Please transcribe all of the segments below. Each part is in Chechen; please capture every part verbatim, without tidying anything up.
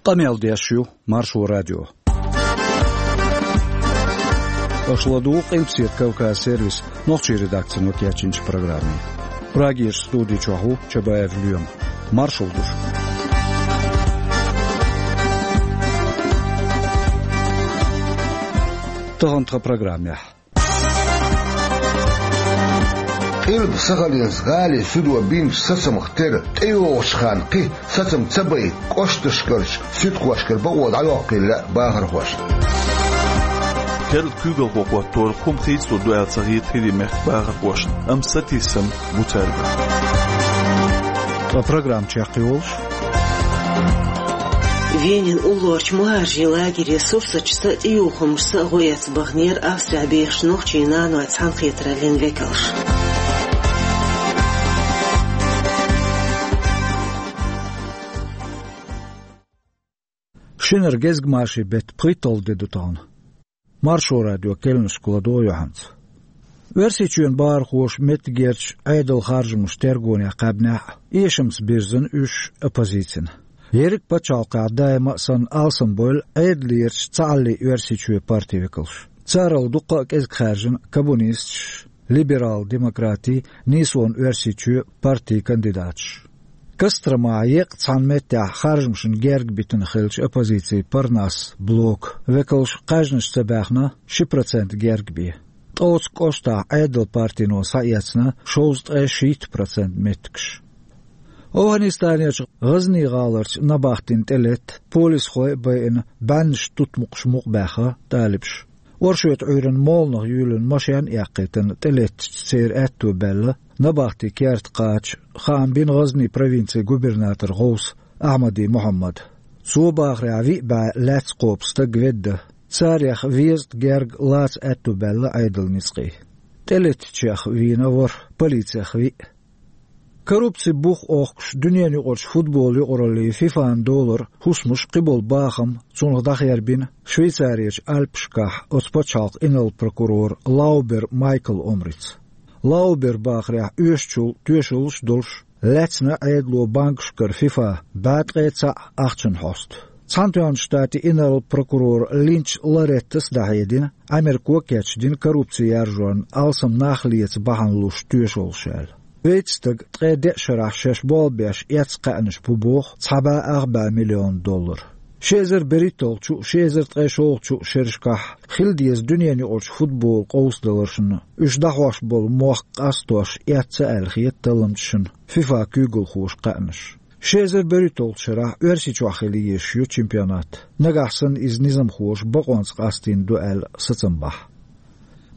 Къамел деш ю Маршо радио. Аша ладугӀу Къилбаседа Кавказ сервисан нохчийн редакцино кечйинчу программе. Прагерчу студи чохь ву Чабаев Лоьма. Маршалла ду шуьга. Тахана тхан программехь. Къилба-Сахалинск гӀалин судо бинчу сацамах тера тӀейогӀучу ханна кхин сацам ца байта кӀошташкарчу суьдхошкара бакъо дӀайоккхийла лаьа бахархошна. Керла куьйгалхо хӀоттор хӀума хийцалур ду аьлла ца хета хӀирийн мехкан бахархошна, амма сатийсам бу цаьрга. Ткъа программа чекхйолуш. Венин уллорчу мухӀажарийн лагере сурсаташца а, тӀеюхамашца а гӀо эцна баханера Австрехь бехачу нохчийн нанойн цхьаьнакхетараллин векалш. Шинара гезгмашин беттан пхийтталгӀа де ду тахана. Маршо радион керланашка ладогӀа юьхьанца. Оьрсийчоьнан бахархоша меттигерчу Ӏедалан харжамашна тергонехь кхаьбнехь а, эшамца бирзина уьш оппозицина. Ерриг пачхьалкхехь даима а санна алсамбевлла Ӏедалерчу Цхьааллин Оьрсийчоьнан партин векалш. Царал дуккха а кӀезиг хаьржина коммунисташ, либерал-демократийн, Нийсонан Оьрсийчоь партийн кандидаташ. Костромахь еккъа цхьана меттехь харжамашна герга битина хиллачу оппозицин Парнас блокан векалш кхаьжнаш ца баьхна ши процент герга бен. Ткъа оцу кӀоштахь Ӏедалан партино схьаэцна шовзткъе шийтта процент меттигаш. ОвхӀанистанерчу ГӀазнин гӀаларчу набахтина тӀелетта, полисхой а байина, бӀеннаш тутмакхаш мукъабаьхна талибаша. Оршотан Ӏуьйранна моланах юьйлина машен а эккхийтина тӀелеттачу церан аьтто баьлла набахтин керта кхача хаам бина ГӀазнин провинцин губернаторан гӀовса Ахьмади Мухьаммада. Цо бахарехь, виъ бӀе лаьцна кхобу стаг ведда. Царех везткъа герга лаца аьтто баьлла Ӏедалан ницкъийн. ТӀелеттачех вийна ворхӀ, полицех виъ. Коррупцин бух охкуш дуьненан юкъарчу футболан юкъараллин ФИФА-н долара хӀусамаш, кхиболу бахам цунах дӀахербина Швейцарерчу Альпашкахь оцу пачхьалкхан инарла прокурора Лаубер Майкла омрица. Лауберан бахарехь, оьшучул тоьшаллаш а долуш, лаьцна Ӏедало банкашкара ФИФА бӀе ткъе цхьаъ ахчанан хьоста. Цхьаьнатоьхначу Штатийн инарла прокурора Линч Лореттас а дӀахьедина, Америко кечдина коррупци яржорна алсам нах леца бахьана луш тоьшаллаш аьлла. Вейтта стага ткъе деа шарахь шаьш болх беш эцна кхаьънаш бу боху цхьа бӀе ах бӀе миллион доллар. Ши эзар берхӀитталгӀачу а, ши эзар ткъе шолгӀачу а шерашкахь хила деза дуьненан юкъарчу футболан къовсадаларшна уьш дӀахьош болу мохк къастош эцна аьлла хета талламчашна ФИФА-н куьйгалхоша кхаьънаш. Ши эзар берхӀитталгӀачу шарахь Оьрсийчохь хила езаш ю чемпионат. Нагахь санна иза низамхоша бакъонца къастийна ду аьлла сацам бахь.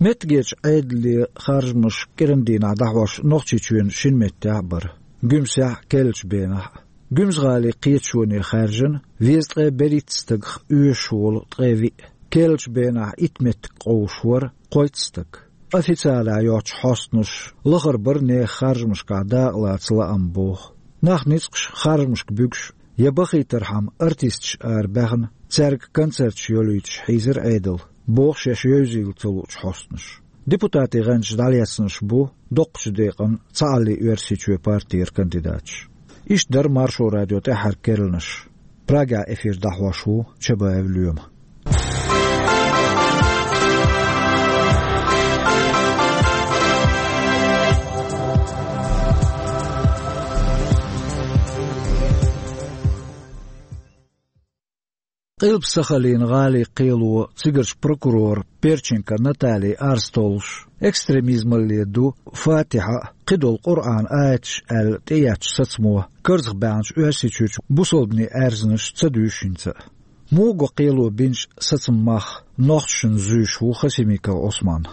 Меттигерчу Ӏедалан харжамаш кӀиран дийнахь дӀахьош Нохчийчоьнан шина меттехь а бара, Гуьмсехь а, керлачу бенахь а. Гуьмсан-гӀалин кхеташоне хаьржина везткъе берхӀитта стагах оьшуш волу ткъе виъ. Керлачу бенахь итт меттиг къовсуш вара кхойтта стаг. Официалехь йоцучу хьостанаша лахара бара нехан харжамашкахь дакъалаца лаам боху. Нах ницкъаш харжамашка буьгуш я бахийтархьама артисташ арабаьхна, цаьрга концерташ йолуьйтуш хьийзира Ӏедал, боху шаьш евзийла ца луучу хьостанаша. Депутатийн гӀанташ дӀалецнарш бу доккхачу декъана Цхьааллин Оьрсийчоьнан партера кандидаташ. Иштта дара Маршо радион тӀаьххьара керланаш. Прагехь эфир дӀахьош ву Чабаев Лоьма. Къилба-Сахалин гӀалин кхело цигарчу прокурор Перченко Натали арз толлуш, экстремизмалле ду Фатихьа а, кхидолу Къуръан аяташ а аьлла тӀеэцначу сацамо карзахбаьхначу Оьрсийчуьрчу бусалбанийн аьрзнаш ца дуьйшу хӀинца а. Муха го кхело бинчу сацаман мах нохчашна зуьйш ву Хасимиков Ӏусман.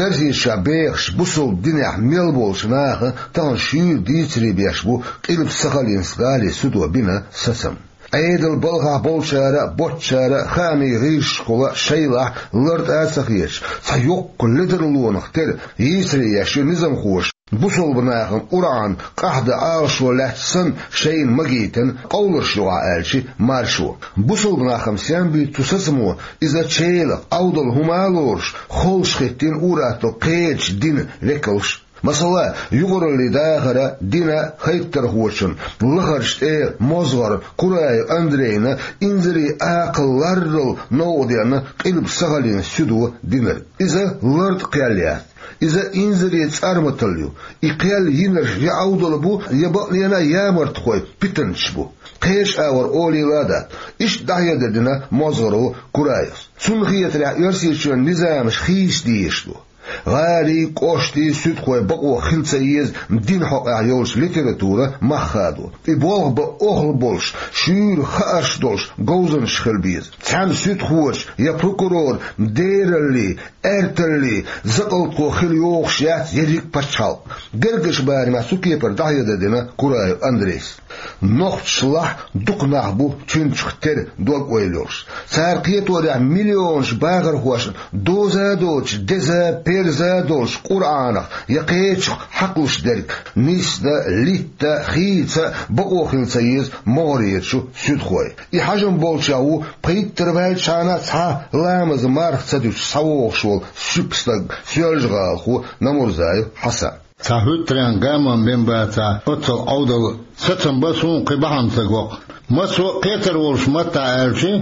Оьрсийчохь бехаш, бусалба динехь мел болчу наха тахана шуьйра дийцаре беш бу Къилба-Сахалинск гӀалин судо бина сацам. Ӏедалан балхахь болчара а, боцчара а, хаамийн гӀирсашкахула а шайлахь лартӀа а ца хеташ, цхьа йоккха ледарлонах тера йийцаре еш ю низамхоша бусалба нахана Къуръан къахьдан Ӏалашо лаьцна санна шайна магийтина къовларш юкъахь, аьлча Маршо. Бусалба нах-м сем буьйцу цу сацамо, иза чӀогӀа Ӏовдал хӀума а лоруш, холуш хӀиттийна ур-атталла кхечу динан векалш. Масала, юкъараллин дахаран дийнахьа хӀайттархочун лахарчу тӀе мозгӀар Кураев Андрейна инзаре акхал ларрал новкъаденна Къилба Сахалин суьдо динарг. Иза лартӀа кхел яц. Иза инзаре цӀарматалла ю. И кхел йинарш я Ӏовдал бу, я бакъдолу а ямартхой, питанчаш бу. Кхечу агӀор олийла а дац. Иштта дӀахьедар дина мозгӀаро Кураевс. Цунна хетарехь, Оьрсийчоьнан низамаш хийца дезаш ду. ГӀалин, кӀоштийн суьдхой бакъо хила ца еза динан хьокъехь йолчу литературан мах хадо. И болх бан охьла болуш, шуьйра хаарш долуш говзанчаш хила беза. Цхьана суьдхочун я прокуроран дераллин, аьрталлин закъалтхо хила йогӀуш яц ерриг а пачхьалкх. Гергарчу барамехь цу кепара дӀахьедар дина Кураев Андрейс. Нохчашлахь дукха нах бу цуьнчух тера дог-ойла йолуш. Цара кхеторехь миллионаш бахархошна доза а доцуш, деза, перза а долуш Къуръанах я кхечух хьакхалуш дерг нисдан, литта, хийца бакъо хила ца еза могӀарерчу суьдхойн. И хьажам болчех ву пхийттара ваьлчхьана цхьа ламазан марха ца дуьтуш схьавогӀуш волу суьпа стаг, соьлжа-гӀалахо Намурзаев Хьасан. Цхьа хӀуьттаренна гамам бен бацахь, оццул Ӏовдал сацам бан суна кхин бахьана ца го-кх. Массо а кхетар волуш маттахь аьлча,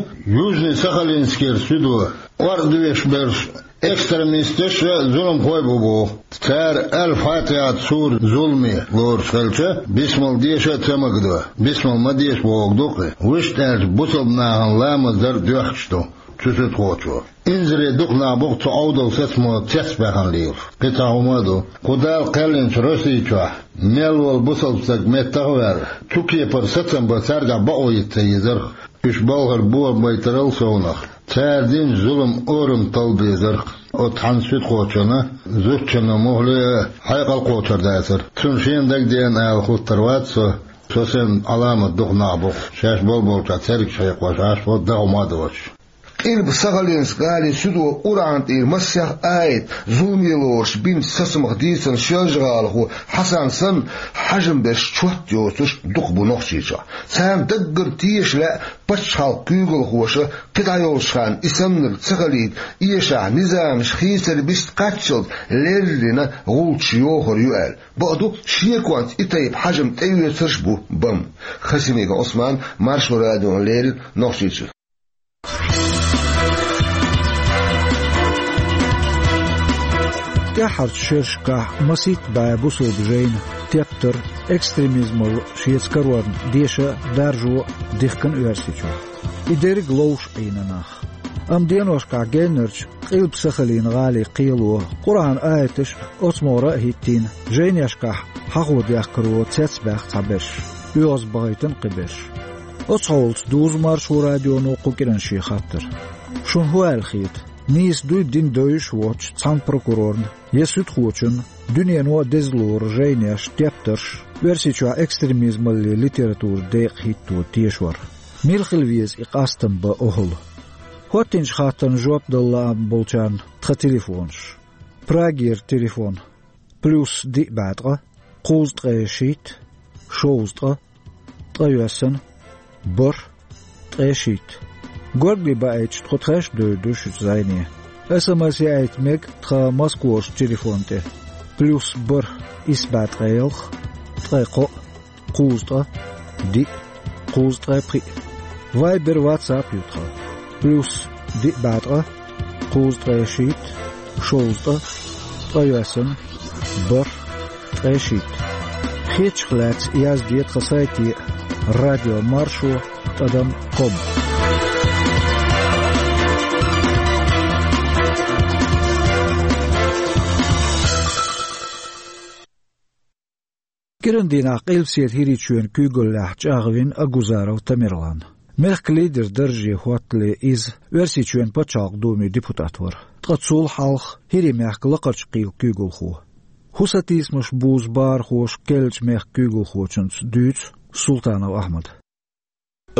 Южный-Сахалинскера суьдо, кӀордош берш экстремисташ а, зуламхой а бу боху. Цара Аль-Фатихьат суран зуламе лоруш хилча, бисмал деша а ца магадо, бисмал ма деша бохург ду-кх и. Вуьшта аьлча, бусалба нахана ламаз дар доьхкуш ду цу суьдхочо. Инзаре дукха нах бу-кх цу Ӏовдал сацамо цецбаьхна лелаш. Кхин цхьа хӀума а ду. Кху Дала кхоьллинчу Росси чохь мел волу бусалба стаг меттах а ваьлла, цу кепара сацам бан цаьргахь бакъо йита ца езара-кх. Уьш балхара бохам байтарал совнах, цара динчу зуламан орам талла безара-кх. Оцу хьан суьдхочунна, зудчунна мухӀале а, хьекъал кхочур дацара. Цунна шена дагадеана ала хӀуттур вац со, со санна Ӏаламат дукха нах бу-кх, шаьш болболчохь цергаш хьекхош Ӏаш бу, дан хӀума а доцуш. Къилба Сахалинск-гӀалин суьдо Къуръан тӀера масех аят, зуламе лоруш бинчу сацамах дийцина соьлжа-гӀалахо Хьасан санна, хьажам берш чот йоцуш дукха бу Нохчийчохь. Царна даггара теша лаьа пачхьалкхан куьйгалхоша, кхидӀа йолчу ханна и саннарг ца хилийта эшахь, низамаш хийцар бист кхаччалц леррина гӀулчаш йохур ю аьлла. Бакъду, шеконца и тайпа хьажам тӀеоьцурш а бу бан. Хасимиков Ӏусман, Маршо радиона леррина, Нохчийчуьра. ТӀаьххьарчу шерашкахь масийтта бӀе бусалба жайна тептар, экстремизмалла шеца карорна деша а, даржо а дихкина Оьрсийчохь. И дерриг ловш Ӏийна нах. Амма деношкахь геннарчу Къилба Сахалин-гӀалин кхело Къуръан аяташ оцу могӀара а хӀиттийна, жайнешкахь хьахо дехкаро цецбаьхна цхьаберш, оьгӀазбахийтина кхиберш. Оцу хьолаца дузу Маршо радионо кху кӀиранан шен хаттар. Шуна хӀун аьлла хета, нийса дуй дин девзаш а воцчу цхьана прокурорна я суьдхочунна дуьнено а деза лору жайнеш, тептарш, Оьрсийчохь экстремизмаллин литературан декъа хӀитто тешор? Мила хила веза и къастам бан охӀла? ХӀоттинчу хаттарна жоп дала лаам болчарна тхан телефонаш. Прагера телефон: плюс диъ бӀе ткъа, кхузткъе шийтта, шовзткъа, ткъайоьсна, бархӀ, ткъе шийтта. Горгали баийтича, тхо тхаьш а девр ду шуьца зӀене. СМС яийта мега тхан Москварчу телефон тӀе: плюс бархӀ, исс бӀе ткъе ялх, ткъе кхоъ, кхузткъа, диъ, кхузткъе пхиъ. Вайбер, ватсап ю тхан: плюс диъ бӀе ткъа, кхузткъе шийтта, шовзткъа, ткъайоьсна, бархӀ, ткъе шийтта. Хетачух лаьцна язде тхан сайте: радиомаршо тӀадам ком. КӀиран дийнахь Къилбаседа ХӀирийчоьнан куьйгаллехь чӀагӀвина Агузаров Тамерлан. Мехкан лидеран дарже хӀоттале иза Оьрсийчоьнан Пачхьалкхан Думин депутат вара. Ткъа цул хьалха ХӀирийн мехкан Лакхарчу кхелан куьйгалхо. ХӀусатийсамаш бузу бахархоша керлачу мехкан куьйгалхочуьнца дуьйцу Султанов Ахьмада.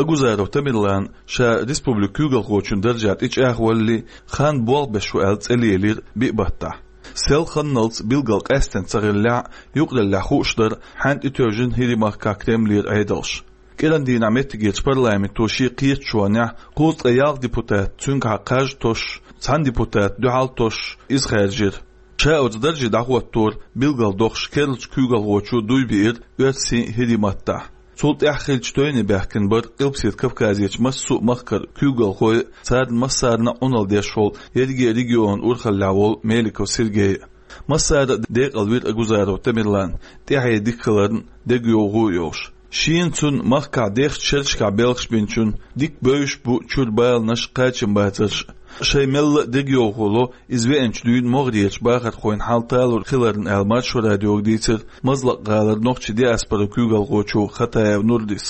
Агузаров Тамерлан ша республикан куьйгалхочун даржехь тӀечӀагӀвалале, хан болх беш ву аьлла цӀе лелийра биъ баттахь. Сел ханналц билггал къаьстина ца хиллехь а, юкъараллехь хууш дара хьаьнга тӀетевжина ХӀирийн махкахь Кремлера Ӏедалш. КӀиран дийнахь меттигерчу парламенто шен кхеташонехь кхузткъе ялх депутат цуьнгахьа кхаж а тосуш, цхьана депутата дуьхьал а тосуш, иза хаьржира. Ша оцу дарже дӀахӀоттор билгалдохуш керлачу куьйгалхочо дуй биира оьрсийн, хӀирийн маттахь. Цул тӀаьхьа хиллачу тойне баьхкина бара Къилбаседа Кавказерчу массо а махкара куьйгалхой а, царна массарна а Ӏуналла деш волу ерриге а регионан урхаллехь волу Меликов Сергей а. Массара а декъалвира Агузаров Тамерлан, тӀаьхье дика хиларна, дегайовхо а йолуш. Шена цунна махкахь дехачу шерашкахь белхаш бинчунна дика бевзаш бу чуьра баланаш, кхачамбацарш а. Шайн мелла а дегайовхо ло, иза веанчу дуьйна могӀарерчу бахархойн хьал талур хиларна аьлла, Маршо радиога дийцира Мазлакъ-гӀалара нохчийн диаспоран куьйгалхочо Хатаев Нурдис.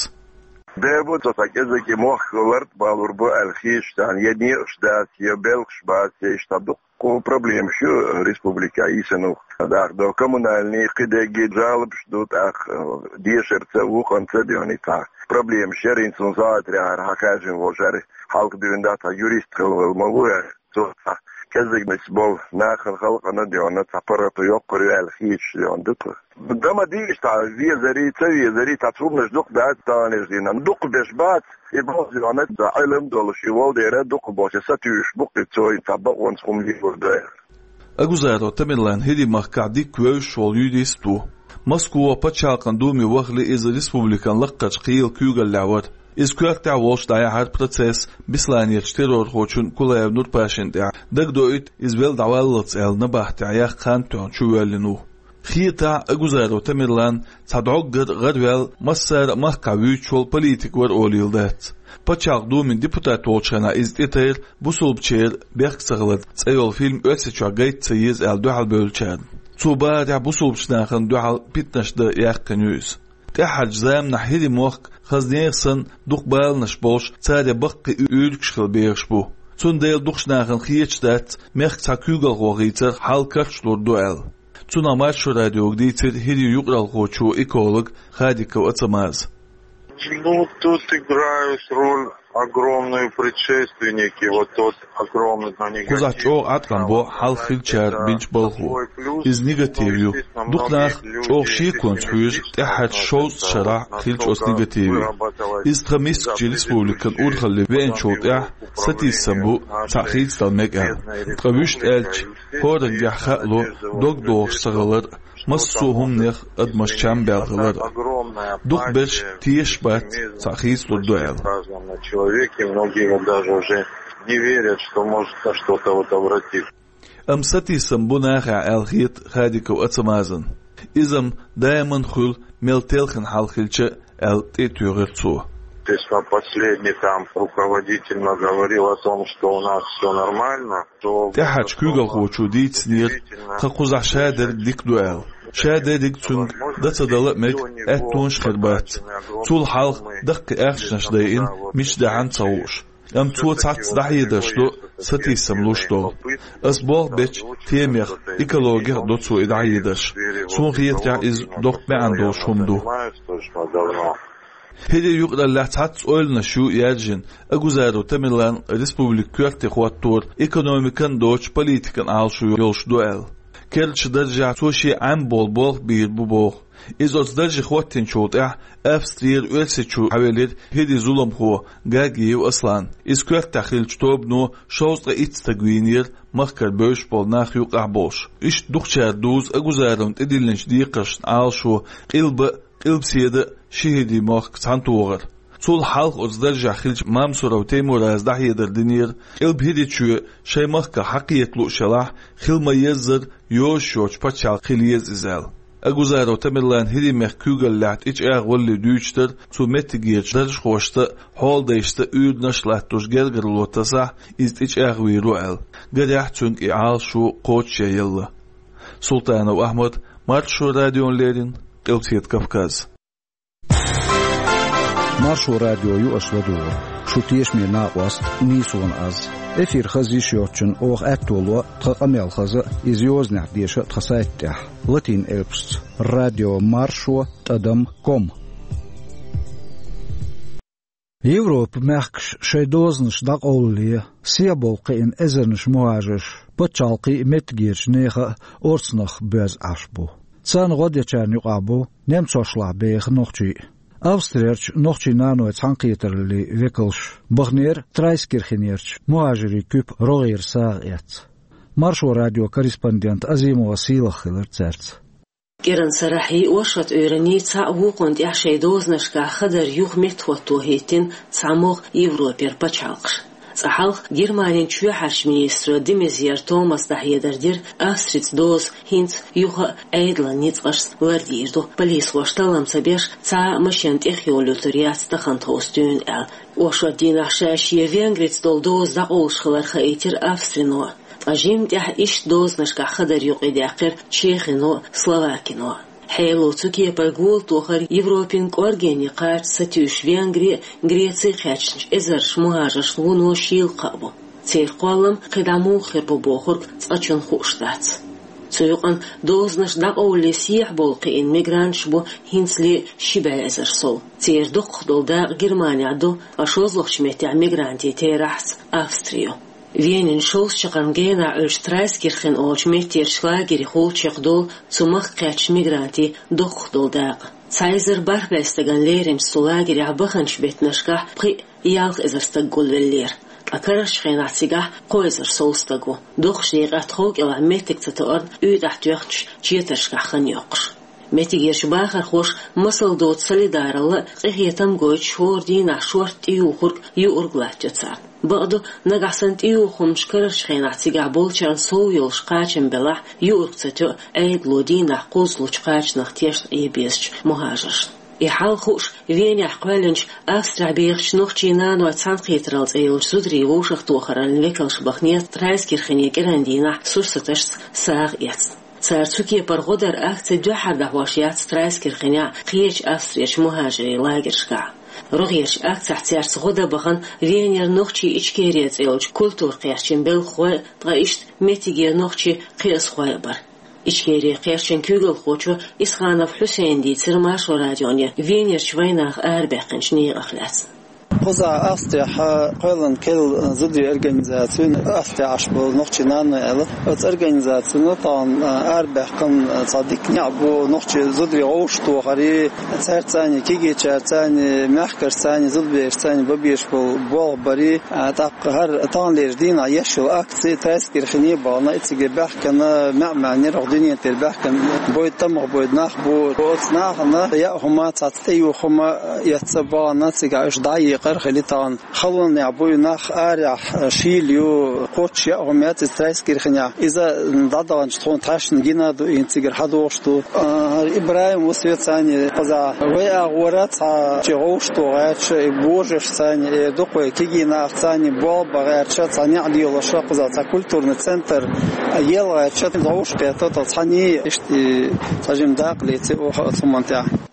Бер бу цо цхьа кӀезиг и мохк лартӀа балур бу аьлла хеташ царна, я некъаш дац, я белхаш бац, я иштта дуккха проблемаш ю республикехь йисина. ТӀаккха до коммунальный кхидерг жалобаш ду, тӀаккха дешарца а, вукханца а дуьйна цхьа проблемаш яра, хӀинца цунна сагӀатарехь хьан хаьржина волу шаьра хьалха дуьйна дац, цхьа юрист хилла ма ву аьлла. Цо цхьа кӀезигнаш болу нахана халкъана дуьйна цхьа паргӀато йоккхур ю аьлла хеташ дуьйна ду тхо. Дан ма дийша цхьа везарий, ца везарий, цхьа цхьа хӀуманаш дукха дац, цхьа хӀуманаш дина, дукха беш бац, и боху дуьйна, цхьа Ӏилма долуш и волу дера дукха боху, сатуьйсуш бу-кх и цо, и цхьа бакъонца хӀума лелор ду аьлла. Агузаров Тамерлан хӀирийн махкахь дика вевзаш волу юрист ву. Москвахь пачхьалкхан Думе вахале иза республикан лаккхарчу кхелан куьйгаллехь вара. Иза коьртехь волуш дӀаяьхьира процесс Бесланерчу террорхочун Кулаев Нурпашин тӀехь, дагадоуьйту, иза велла дӀаваллалц аьлла набахтехь яккха хан тоьхна чувоьллина ву. Хетахь, Агузаров Тамерлан цхьа доггара гӀараваьлла, массара а махкахь вуьйцуш волу политик вара олийла дац. Пачхьалкхан Думин депутат волчу хенахь иза тӀетайра «Бусулбачеран бехк ца хилар» цӀе йолу фильм Оьрсийчохь гайта ца еза аьлла дуьхьалбевллачарна. Цо бахарехь, бусулбачу нахана дуьхьал питанаш дан яьккхина ю иза. ТӀаьххьарчу заманахь хӀирийн мохк, хаза нехан санна, дукха баланаш болуш, царах баккхий уьйригаш хила бехаш бу. Цундела дукхачу нахана хеташ дац мехкан цхьа куьйгалхо хийцарх хьал карчалур ду аьлла. Цунах Маршо радиога дийцира хӀирийн юкъаралхочо, эколого Хадиков Ацамаза. Ну, тут играют роль огромную предшественники, вот тот огромный негатив. Кхузахь чӀогӀа Ӏаткъам бо хьалха хиллачара бинчу балхо. Иза негатив ю. Дукха нах чӀогӀа шеконца хьоьжу тӀаьххьарчу шовзткъа шарахь хиллачу оцу негативе. Иза тхан мискачу республикан урхалле веанчул тӀаьхьа сатийсам бу цхьаъ хийцадала мега аьлла. Ткъа вуьшта аьлча, хӀораннегахь хаало дог дохуш ца хилар, массо а хӀуманех адамаш чам баьлла хилар. Дукхахберш тешаш бац, цхьаъ хийцалур ду аьлла. Человеке многие даже уже не верят, что может на что-то вот обратиться. Амма сатийсам бу нахехь аьлла хета Хадиков Ацамазан. Иза-м даиман хуьлу, мел телхина хьал хилча а, аьлла тӀе а туьйхира цо. Если последний там руководитель наговорил о том, что у нас всё нормально, то... ТӀаьххьарчу куьйгалхочо дийцинера, тхан кхузахь шадерг дика ду аьлла. Шадерриг цуьнга дан ца дала а мега, аьттонаш а хир бац. Цул хьалха даккхий ахчанаш дайина, мича дахьана ца хууш. Амма цо цхьацца дӀахьедарш до сатийсам луш долу. Ас болх бечу темех, экологех а до цо и дӀахьедарш. Суна хетарехь, иза доккха маьӀна долуш хӀума ду. ХӀирийн юкъараллехь цхьацца ойланаш ю яьржина, Агузаров Тамерлан республика коьрте хӀоттор экономикан а доцуш политикан Ӏалашо йолуш ду аьлла. Керлачу даржехь цо шен Ӏаьмболу болх бийр бу боху. Иза оцу дарже хӀоттийначул тӀаьхьа Австрера Оьрсийчу хьавелира хӀирийн зуламхо Гагиев Аслан. Иза коьртехь хиллачу тобано шовзткъе итт стаг вийнера, махкара бевзаш болу нах юкъахь болуш. Иштта дукхачара дузу Агузаровна тӀедиллинчу декхаршна Ӏалашо Къилба а, Къилбаседа а ши хӀирийн мохк цхьаьнатохар. Цул хьалха оцу даржехь хиллачу Мамсуров Теймураза дӀахьедар динера, Къилба хӀирийн чоь шайн махках хьакхета лууш елахь, хила ма-еззара йозуш йоцу пачхьалкх хила еза иза аьлла. Агузаров Тамерлан хӀирийн мехкан куьйгаллехь тӀечӀагӀвалале дуьйцуш дара цо меттигерчу даржхошца а, хьолдайшца а уьйранаш а латтош гергарло тасахь, иза тӀечӀагӀвийр ву аьлла. Гарехь, цуьнга и Ӏалашо кхочушъелла. Султанов Ахьмад, Маршо радиона леррина, Къилбаседа Кавказ. Маршо радио ю аша ладугӀург. Шу тешаме накъост нийсонан аз. Эфир хаза йиш йоцчунна оха аьтто ло тхан къамел хаза а, иза йозанехь деша а тхан сайта тӀехь, латин элпашца: радио маршо тӀадам ком. Европан мехкаш шайн дозанаш дӀакъовлале, сехьабовла кхиъна эзарнаш мухӀажарш пачхьалкхийн а, меттигерчу нехан а орцанах боьзна Ӏаш бу. Царна гӀо дечарна юкъахь бу немцошлахь беха нохчий а. Австрерчу нохчийн нанойн цхьаьнакхетараллийн векалш баханера Трайскирхенерчу мухӀажарийн куьпа рогӀера сагӀа эцна. Маршо радион корреспондент Азимова Сийлаха хилира цаьрца. КӀиранан сарахьи, оршот Ӏуьйранни цхьаъ вукхунна тӀехь шайн дозанашкахь хадар юха меттахӀотто хӀиттина цхьа могӀа Европера пачхьалкхаш. Цкъа хьалха Германин чоьхьарчу министро де Мезьер Томаса дӀахьедар дира, Австрица доза хӀинца юха а Ӏедалан ницкъашца лардийр ду, полисхоша таллам ца беш, цхьа а машен тӀехйолуьйтур яц тахана тховса дуьйна аьлла. Оршот дийнахь ша шен Венгрица долу доза дӀакъовлуш хилар хаийтира Австрино. Ткъа жимма тӀехь иштта дозанашкахь хадар юкъадаьккхира Чехино а, Словакино а. Хьело цу кепара гола тохар Европин кӀоргене кхача сатуьйсуш Венгри а, Греци а кхаьчначу эзарчу мухӀажаршна вуно шийла кхаъ бу. Церан кхоллам кхидӀа муха хир бу бохург цкъачунна хууш дац. Цу юкъана дозанаш дӀакъовлале сехьа болу кхиъна мигранташ бу хӀинцале ши бӀе эзар сов. Церан дукхах долу дакъа Германехь ду, ткъа шолгӀачу меттехь мигрантийн терахьца Австри ю. Венин шовзткъа чаккхарма генахь Ӏуьллучу Трайскирхен олучу меттерчу лагерехула чекхдолу цу махка кхаьчначу мигрантийн дукхах долу дакъа. Цхьа эзар бархӀ бӀе стагана лерамчу цу лагерехь баханчу беттанашкахь пхиъ-ялх эзар стаг гулвеллера. Ткъа карарчу хенахь цигахь кхо эзар сов стаг ву. Дукхачу декъехь тхов кӀелахь меттиг ца тоарна, уьйтӀахь тоьхначу четаршкахь хан йоккхуш. Меттигерчу бахархоша масал доцу солидаралла а, къинхетам а гойтуш, хӀора дийнахь шорта тӀеюхург, юург латтайо царна. Бакъду, нагахь санна тӀеюху хӀуманаш карарчу хенахь цигахь болчарна сов йолуш кхачам белахь, юург ца тоьу Ӏедало дийнахь кхуззалучу кхачанах тешна Ӏе безачу мухӀажаршна. И хьал хууш, Венехь кхоьллинчу Австрехь бехачу нохчийн нанойн цхьаьнакхетаралла цӀе йолчу зударийн вовшахтохараллин векалша баханера Трайскирхене кӀиран дийнахь сурсаташца сагӀа эцна. Цара цу кепара гӀо даран акци дуьххьара дӀахьош яц Трайскирхенехь а, кхечу Австрерчу мухӀажарийн лагершкахь а. РогӀерчу акцехь цаьрца гӀо дан бахана Венера нохчийн Ичкери цӀе йолчу культура кхерчийн белхалой а, ткъа иштта меттигера нохчийн кхиазхой а бара. Ичкери кхерчийн куьйгалхочо Исханов Хьусейна дийцира Маршо радионе Венерчу вайнаха арабаьккхинчу некъах лаьцна. Кхузахь Австрехь кхоьллина керла зударийн организаци ю, Австрехь Ӏаш болу нохчийн нанойн аьлла. Оцу организацино тахана арабаьккхина цхьа дика некъ бу нохчийн зударийн вовшахтохарий, цаьрца цхьаьна кегийчаьрца цхьаьна, мехкашца цхьаьна, зудаберашца цхьаьна бан безаш болу болх барий. ТӀаккха хӀара таханлерчу дийнахь еш йолу акци Трайскирхене бахана, и цига баьхкина, маьӀ-маьӀӀера хӀокху дуьнен тӀера баьхкина бойда, тамаха бойда нах бу. Оцу нахана яа хӀума, цхьацца тӀеюха хӀума эцна бахана, цигахь уьш дӀа а екъар хили тахана. Халонехь бу и нах, арахь шийла ю, кхоччуш яа хӀума яц иза Трайскирхенехь. Иза дӀадаханчу тхуна тхаьшна гина а ду, и цигара хьадогӀуш ду. А, ИбрахӀим Усвет цхьаьна кхузахь вай агӀора цхьа чи гӀовшто гӀерташ, и божаршца цхьаьна, и дукха вай кегий нахаца цхьаьна болх бан гӀерташ, цхьа некъ лелош, кхузахь цхьа культурный центр ел гӀерташ, гӀовш кхетта, тхо цхьаьна иштта и цхьа жима дакъа леци оха оцу хӀуманна тӀехь.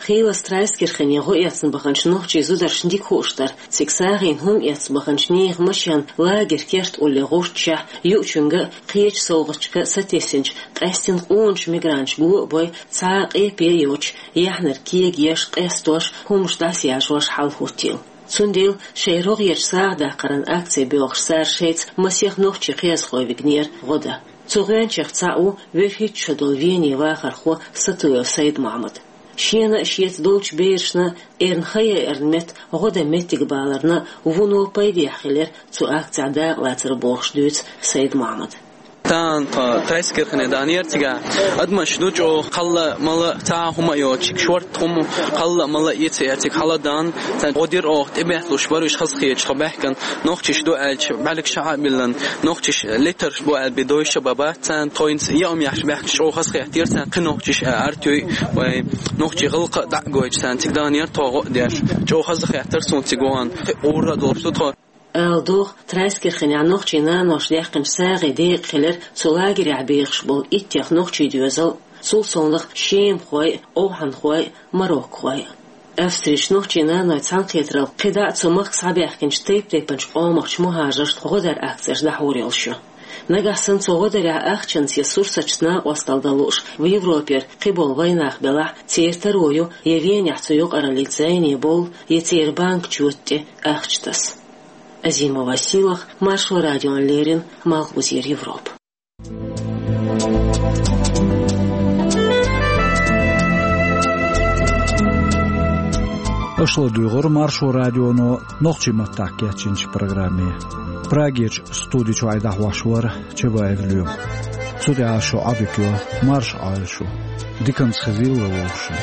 Хийлас Трайскирхене гӀо эцна баханчу нохчийн зударшна дика хууш дара, цига сагӀина хӀума эцна баханчу нехан машен лагеран керта улле гӀурташехь, юучуьнга а, кхечу совгӀаташка а сатессинчу къаьстина къоначу мигранташа го а бой, цхьа а къепе а йоцуш, яхьанарг кегаеш, къестош, хӀумаш дӀасаяжош хьал хӀуттийла. Цундела шайн рогӀерчу сагӀа даккхаран акци боьлхуш цара шайца масех нохчийн кхиазхой вигнера гӀо дан. Цу гӀоьнчех цхьаъ ву вуьрхӀитта шо долу Венин вахархо Сатуев Сайд-Мохьмад. Шена а, шеца долчу берашна а эрна хан яйаран метта гӀо дан меттиг баларна вуно пайдехь хилира цу акцехь дакъалацар бохуш дуьйцу Сайд-Мохьмада. Тахана тхо Трайскирхене даьннера, цигахь адамаш ду чӀогӀа, кхалла а, малла а, цхьа а хӀума а йоцуш, шорта хӀума, кхалла а, малла а эца а эцнарг хьалдаьнна, царна гӀо дира оха, тӀебетталуш бара уьш хазахеташ тхо баьхкина, нохчаш ду аьлча, бӀаьргаш чу а биллина, нохчаш литарш бу аьлла бен дойша бан бац царна, тхо хӀинца яа хӀума еш баьхкича чӀогӀа хазахеттера царна, кхин нохчаш а аьрти вай, нохчийн гӀиллакх а дӀа а гойтуш царна цига даьннера тхо гӀо а деш. ЧӀогӀа хазахеттара суна цига вахана, кхин ура а долуш ду тхо. Ала догӀу, Трайскирхенехь нохчийн наноша даьккхинчу сагӀин декъа хилира цу лагерехь бехаш болу иттех нохчийн доьзал а, цул совнаха шемахой а, овхӀанхой а, мароккахой а. Австрерчу нохчийн нанойн цхьаьнакхетаралла кхидӀа а цу махка схьабаьхкинчу тайп-тайпанчу къомахчу мухӀажаршна гӀо даран акцеш дӀахьур йолуш ю. Нагахь санна цу гӀо дарехь ахчанца я сурсаташца накъосталла дан лууш Европера кхиболу вайнах белахь, церан таро ю я Венехь цу юкъараллица зӀене бовла, я церан банкан чоьта тӀе ахча таса. Азимова Сийлаха, Маршо радиона леррина, Малхбузера Европа. Аша ладугӀура Маршо радионо нохчийн маттахь кечйинчу программе. Прагерчу студи чуьра дӀахьош вара Чабаев Лоьма. Цу тӀехь шу Ӏодика йо Маршо Ӏойла шу. Диканца хезийла вовшашна.